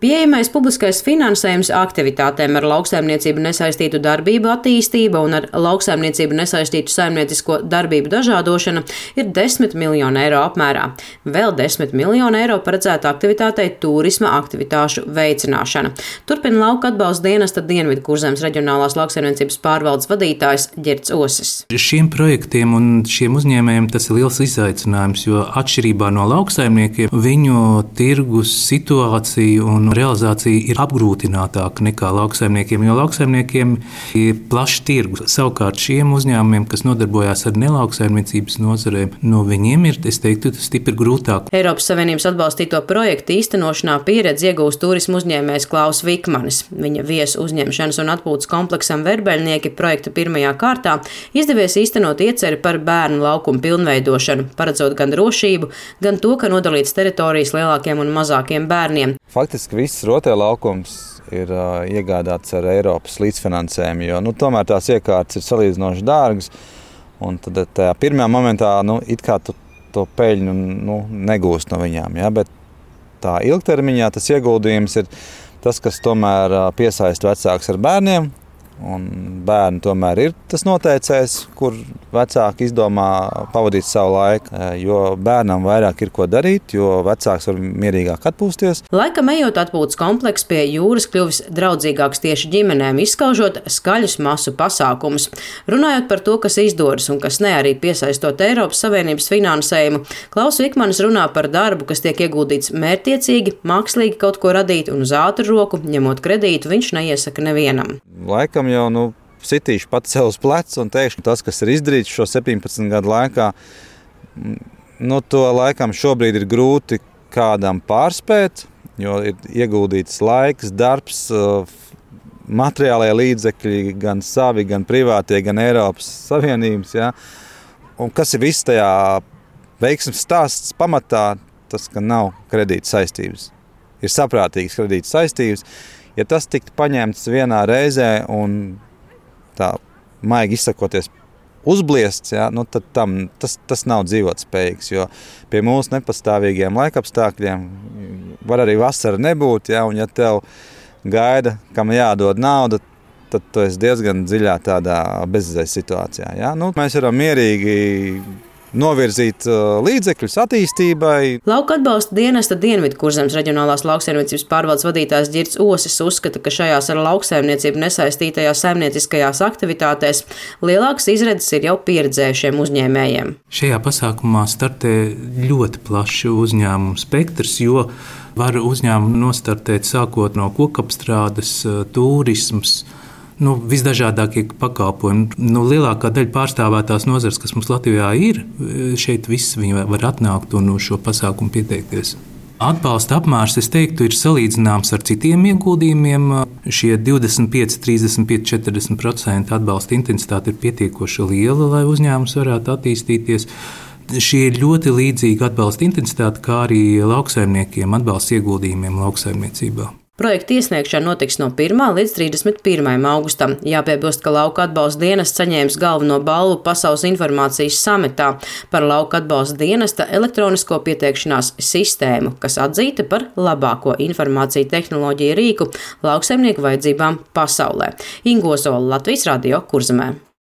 Pieejamais publiskais finansējums aktivitātēm ar lauksaimniecību nesaistītu darbību attīstība un ar lauksaimniecību nesaistītu saimniecisko darbību dažādošana ir 10 miljoni eiro apmērā. Vēl 10 miljoni eiro paredzēta aktivitātei turisma aktivitāšu veicināšana. Turpina Lauka atbalsta dienesta Dienvidkurzemes reģionālās lauksaimniecības pārvaldes vadītājs Ģirds Osis. Šiem projektiem un šiem uzņēmējiem tas ir liels izaicinājums, jo atšķirībā no lauksaimniekiem viņu tirgus situācija un realizācija ir apgrūtinātāka nekā lauksaimniekiem, jo lauksaimniekiem ir plašs tirgus. Savukārt šiem uzņēmumiem, kas nodarbojās ar nelauksaimniecības nozarēm, no viņiem ir, es teiktu, tas stipri grūtāk. Eiropas Savienības atbalstīto projektu īstenošanā pieredzi iegūst turismu uzņēmējs Klaus Vikmanis. Viņa viesu uzņemšanas un atpūtas kompleksam Verbēļnieki projekta pirmajā kārtā izdevies īstenot ieceri par bērnu laukumu pilnveidošanu, paredzot gan drošību, gan to, ka nodalīts teritorijas lielākiem un mazākiem bērniem. Faktiski viss rotēlaukums ir iegādāts ar Eiropas līdzfinansējumu, jo tomēr tās iekārtas ir salīdzinoši dārgas. Un tad tajā pirmajā momentā it kā tu to peļņu negūst no viņām. Ja? Bet tā ilgtermiņā tas ieguldījums ir tas, kas tomēr piesaista vecākus ar bērniem. Un bērni tomēr ir tas noteicējs, kur vecāki izdomā pavadīt savu laiku, jo bērnam vairāk ir ko darīt, jo vecāks var mierīgāk atpūsties. Laikam ejot atpūtas komplekss pie jūras kļuvis draudzīgāks tieši ģimenēm, izskaužot skaļus masu pasākumus. Runājot par to, kas izdodas un kas ne, arī piesaistot Eiropas Savienības finansējumu, Klaus Vikmanis runā par darbu, kas tiek ieguldīts mērķtiecīgi, mākslīgi kaut ko radīt un uz ātru roku, ņemot kredītu, viņš neiesaka nevienam. Laikam jau sitīšu pats sev uz pleca un teikšu, ka tas, kas ir izdarīts šo 17 gadu laikā, to laikam šobrīd ir grūti kādam pārspēt, jo ir ieguldīts laiks, darbs, materiālie līdzekļi, gan savi, gan privātie, gan Eiropas Savienības. Ja? Un kas ir viss tajā veiksmes stāsts pamatā, tas, ka nav kredīta saistības. Ir saprātīgas kredīta saistības. Ja tas tiktu paņemts vienā reizē un tā maigi izsakoties uzbliests, ja, tad tas nav dzīvotspējīgs, jo pie mūsu nepastāvīgiem laikapstākļiem var arī vasara nebūt, ja, un ja tev gaida, kam jādod nauda, tad tu esi diezgan dziļā tādā bezizējas situācijā. Ja. Mēs varam mierīgi novirzīt līdzekļus attīstībai. Lauka atbalsta dienesta Dienvidkurzemes reģionālās lauksaimniecības pārvaldes vadītājs Ģirds Osis uzskata, ka šajās ar lauksaimniecību nesaistītajās saimnieciskajās aktivitātēs lielākas izredzes ir jau pieredzējušiem uzņēmējiem. Šajā pasākumā startē ļoti plašs uzņēmumu spektrs, jo var uzņēmumu nostartēt sākot no kokapstrādes, turisms, visdažādākie pakalpojumi. Lielākā daļa pārstāvētās nozares, kas mums Latvijā ir, šeit viss viņi var atnākt un uz šo pasākumu pieteikties. Atbalsta apmērs, es teiktu, ir salīdzināms ar citiem ieguldījumiem. Šie 25, 35, 40% atbalsta intensitāte ir pietiekoši liela, lai uzņēmums varētu attīstīties. Šī ir ļoti līdzīga atbalsta intensitāte, kā arī lauksaimniekiem atbalsta ieguldījumiem lauksaimniecībā. Projekta iesniegšana notiks no 1. līdz 31. augustam. Jāpiebilst, ka Lauka atbalsta dienests saņēmis galveno balvu Pasaules informācijas samitā par Lauka atbalsta dienesta elektronisko pieteikšanās sistēmu, kas atzīta par labāko informāciju tehnoloģiju rīku lauksaimnieku vajadzībām pasaulē. Inga Ozola, Latvijas Radio, Kurzemē.